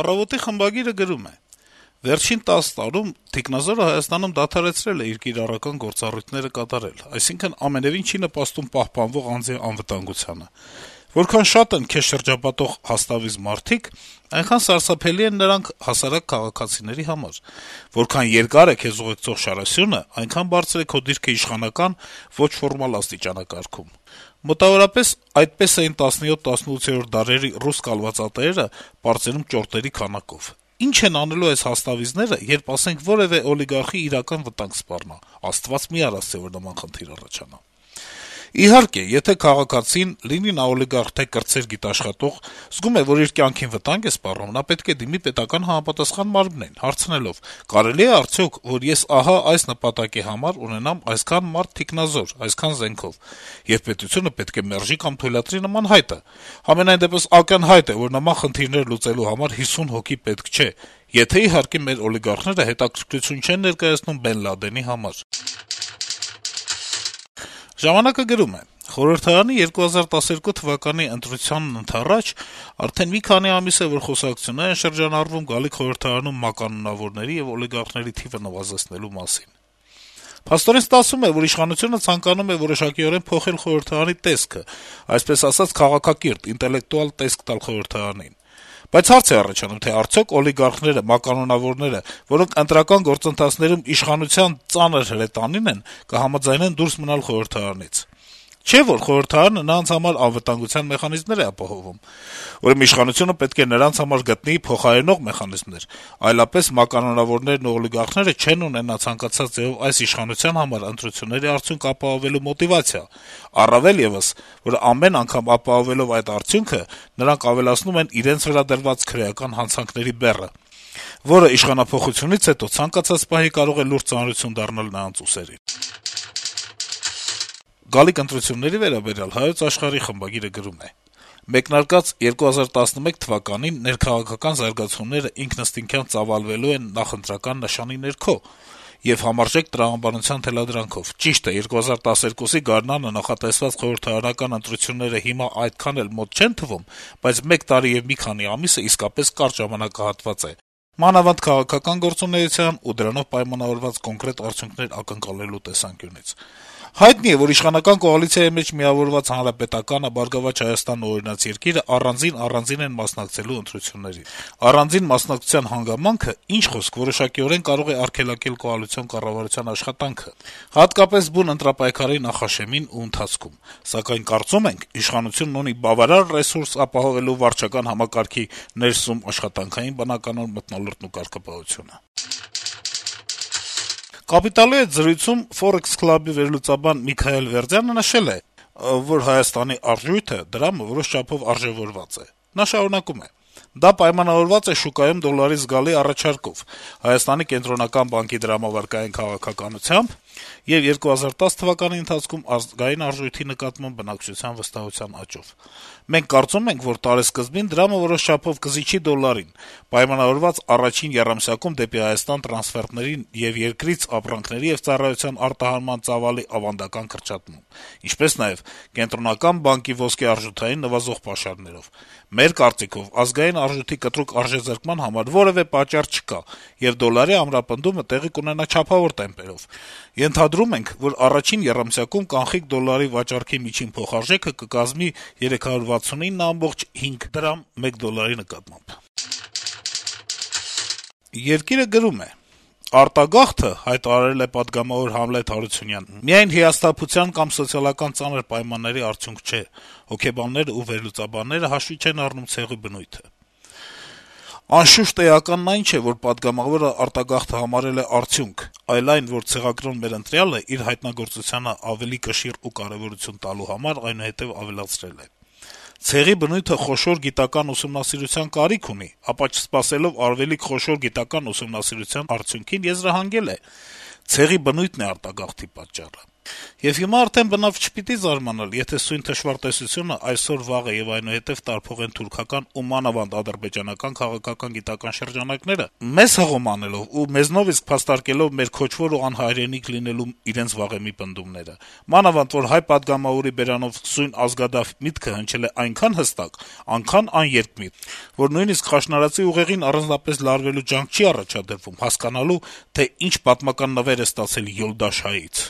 «Առավոտ»-ի խմբագիրը գրում է. - «Վերջին 10 տարում թիկնազորը Հայաստանում դադարեցրել է իր կիրառական գործառույթները կատարել, այսինքն ամենեւին չի նպաստում պահպանվող անձի անվտանգությանը: Որքան շատ են քեզ շրջապատող հաստավիզ մարդիկ, այնքան սարսափելի են նրանք հասարակ քաղաքացիների համար: Որքան երկար է քեզ ուղեկցող շարասյունը, այնքան բարձր է քո դիրքը իշխանական, ոչ ֆորմալ աստիճանակարգում: Մոտավորապես այդպես էին 17-18-րդ դարերի ռուս կալվածատերերը պարծենում ճորտերի քանակով: Ինչ են անելու այս հաստավիզները, երբ, ասենք, որեւէ օլիգարխի իրական վտանգ սպառնա: Աստված մի արասցե, որ նման խնդիր առաջանա: Իհարկե, եթե քաղաքացին, լինի նա օլիգարխ, թե կրտսեր գիտաշխատող, զգում է, որ իր կյանքին վտանգ է սպառնում, նա պետք է դիմի պետական համապատասխան մարմնին, հարցնելով. կարելի է արդյոք, որ ես ահա այս նպատակի համար ունենամ այսքան մարդ թիկնազոր, այսքան զենքով, եւ պետությունը պետք է մերժի կամ թույլատրի նման հայտը: Համենայն դեպս ակնհայտ է, որ նման խնդիրներ լուծելու համար 50 հոգի պետք չէ, եթե, իհարկե, մեր օլիգարխները հետաքրքրություն չեն ներկայացնում Բեն Լադենի համար»: «Ժամանակ»-ը գրում է. - «Խորհրդարանի 2012 թվականի ընտրությանն ընդառաջ արդեն մի քանի ամիս է, որ խոսակցություններ են շրջանառվում գալիք խորհրդարանում մականունավորների եւ օլիգարխների թիվը նվազեցնելու մասին: Փաստորեն ստացվում է, որ իշխանությունը ցանկանում է որոշակիորեն փոխել խորհրդարանի տեսքը, այսպես ասած, քաղաքակիրթ, ինտելեկտուալ տեսք տալ խորհրդարանին: Բայց հարց է առաջանում, թե արդյոք օլիգարխները, մականունավորները, որոնք ընտրական գործընթացներում իշխանության ծանր հրետանին են, կհամաձայնեն դուրս մնալ խորհրդարանից: Չէ՞ որ խորհրդարանը նրանց համար անվտանգության մեխանիզմներ է ապահովում: Ուրեմն իշխանությունը պետք է նրանց համար գտնի փոխարինող մեխանիզմներ, այլապես մականունավորներն ու օլիգարխները չեն ունենա ցանկացած ձեւով այս իշխանության համար ընտրությունների արդյունք ապահովելու մոտիվացիա, առավել եւս, որ ամեն անգամ ապահովելով այդ արդյունքը, նրանք ավելացնում են իրենց վրա դրված քրեական հանցանքների բեռը, որը իշխանափոխությունից հետո ցանկացած պահի կարող է լուրջ ծանրություն դառնալ նրանց ուսերին»: Գալիք ընտրությունների վերաբերյալ «Հայոց Աշխարհ»-ի խմբագիրը գրում է. - «Մեկնարկած 2011 թվականին ներքաղաքական զարգացումները ինքնըստինքյան ծավալվելու են նախընտրական նշանի ներքո եւ համարժեք տրամաբանության թելադրանքով: Ճիշտ է, 2012-ի գարնանը նախատեսված խորհրդարանական ընտրությունները հիմա այդքան էլ մոտ չեն թվում, բայց 1 տարի եւ մի քանի ամիսը իսկապես կարճ ժամանակահատված է, մանավանդ քաղաքական գործունեության ու դրանով պայմանավորված կոնկրետ արդյունքներ ակնկալելու տեսանկյունից: Հայտնի է, որ իշխանական կոալիցիայի մեջ միավորված Հանրապետականը, «Բարգավաճ Հայաստանն» ու «Օրինաց երկիր»-ը առանձին են մասնակցելու ընտրություններին: Առանձին մասնակցության հանգամանքը, ինչ խոսք, որոշակիորեն կարող է արգելակել կոալիցիոն կառավարության աշխատանքը, հատկապես բուն ընտրապայքարի նախաշեմին ու ընթացքում: Սակայն կարծում ենք, իշխանությունն ունի բավարար ռեսուրս ապահովելու վարչական համակարգի ներսում աշխատանքային բնականոն մթնոլորտն ու կարգապահությունը»: «Կապիտալ»-ի հետ զրույցում Forex Club-ի վերլուծաբան Միքայել Վերդյանը նշել է, որ Հայաստանի արժույթը, դրամը, որոշ չափով արժեւորված է: Նա շարունակում է. - «Դա պայմանավորված է շուկայում դոլարի զգալի առաջարկով, Հայաստանի կենտրոնական բանկի դրամավարկային քաղաքականությամբ եւ 2010 թվականի ընթացքում ազգային արժույթի նկատմամբ բնակչության վստահության աճով: Մենք կարծում ենք, որ տարեսկզբին դրամը որոշ չափով կզիջի դոլարին` պայմանավորված առաջին եռամսյակում դեպի Հայաստան տրանսֆերտների եւ երկրից ապրանքների եւ ծառայության արտահանման ծավալի ավանդական կրճատմամբ, ինչպես նաեւ Կենտրոնական բանկի ոսկե արժութային նվազող պաշարներով: Մեր կարծիքով, ազգային արժույթի կտրուկ արժեզրկման համար որեւէ պատճառ չկա, եւ դոլարի ամրապնդումը տեղի կունենա չափավոր տեմպերով: Ենթադրում ենք, որ առաջին եռամսյակում կանխիկ դոլարի վաճառքի միջին փոխարժեքը կկազմի 369.5 դրամ մեկ դոլարի նկատմամբ»: «Երկիր»-ը գրում է. - «Արտագաղթը, հայտարարել է պատգամավոր Համլետ Հարությունյանն, միայն հիասթափության կամ սոցիալական ծանր պայմանների արդյունք չէ: Հոգեբաններն ու վերլուծաբանները հաշվի չեն առնում ցեղի բնույթը: Անշուշտ էականն այն չէ, որ պատգամավորը արտագաղթը համարել է արդյունք, այլ այն, որ ցեղակրոն մեր ընտրյալը իր հայտնագործությանը ավելի կշիռ ու կարեւորություն տալու համար այնուհետեւ ավելացրել է: Ցեղի բնույթը խոշոր գիտական ուսումնասիրության կարիք ունի, ապա չսպասելով արվելիք խոշոր գիտական ուսումնասիրության արդյունքին եզրահանգել է. ցեղի բնույթն է արտագաղթի պատճառը: Եվ հիմա արդեն բնավ չպիտի զարմանալ, եթե սույն թշվառտեսությունը այսօր, վաղը եւ այնուհետեւ տարփողեն թուրքական ու մանավանդ ադրբեջանական քաղաքական գիտական շրջանակները, մեզ հղում անելով ու մեզնով իսկ փաստարկելով մեր քոչվոր ու անհայրենիք լինելու իրենց վաղեմի պնդումները, մանավանդ որ հայ պատգամավորի բերանով սույն ազգադափ միտքը հնչել է այնքան հստակ, այնքան աներկմիտ, որ նույնիսկ խաշնարածի ուղեղին առանձնապես լարվելու ջանք չի առաջադրվում հասկանալու, թե ինչ պատմական նվեր է ստացել Յոլդաշայից»։